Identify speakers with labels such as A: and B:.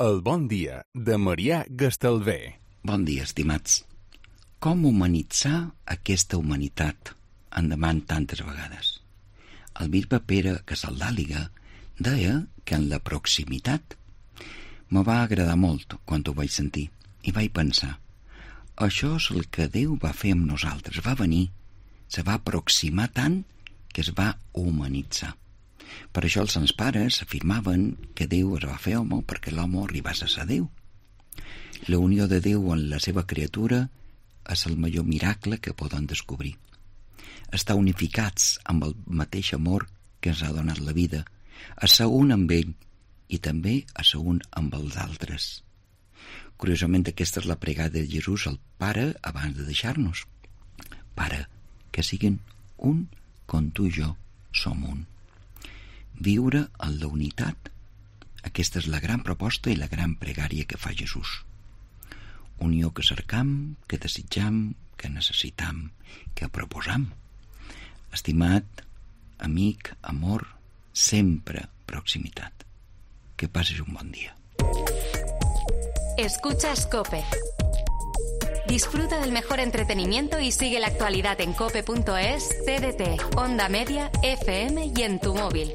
A: El bon dia de Marià Gastalver.
B: Bon dia, estimats. Com humanitzar aquesta humanitat en demant tantes vegades? El bisbe Pere Casaldàliga deia que en la proximitat me va agradar molt quan ho vaig sentir i vaig pensar, això és el que Déu va fer amb nosaltres, va venir, se va aproximar tant que es va humanitzar. Per això els sants pares afirmaven que Déu es va fer home perquè l'home arribés a ser Déu. La unió de Déu amb la seva criatura és el major miracle que poden descobrir. Estar unificats amb el mateix amor que ens ha donat la vida, a ser un amb ell i també a ser un amb els altres. Curiosament, aquesta és la pregada de Jesús al Pare abans de deixar-nos. Pare, que siguin un com tu i jo som un. Viure en la unitat, aquesta és la gran proposta i la gran pregària que fa Jesús. Unió que cercam, que desitjam, que necessitam, que proposam. Estimat, amic, amor, sempre proximitat. Que passes un bon dia.
C: Escuchas COPE. Disfruta del mejor entretenimiento y sigue la actualidad en cope.es, TDT, Onda Media, FM y en tu móvil.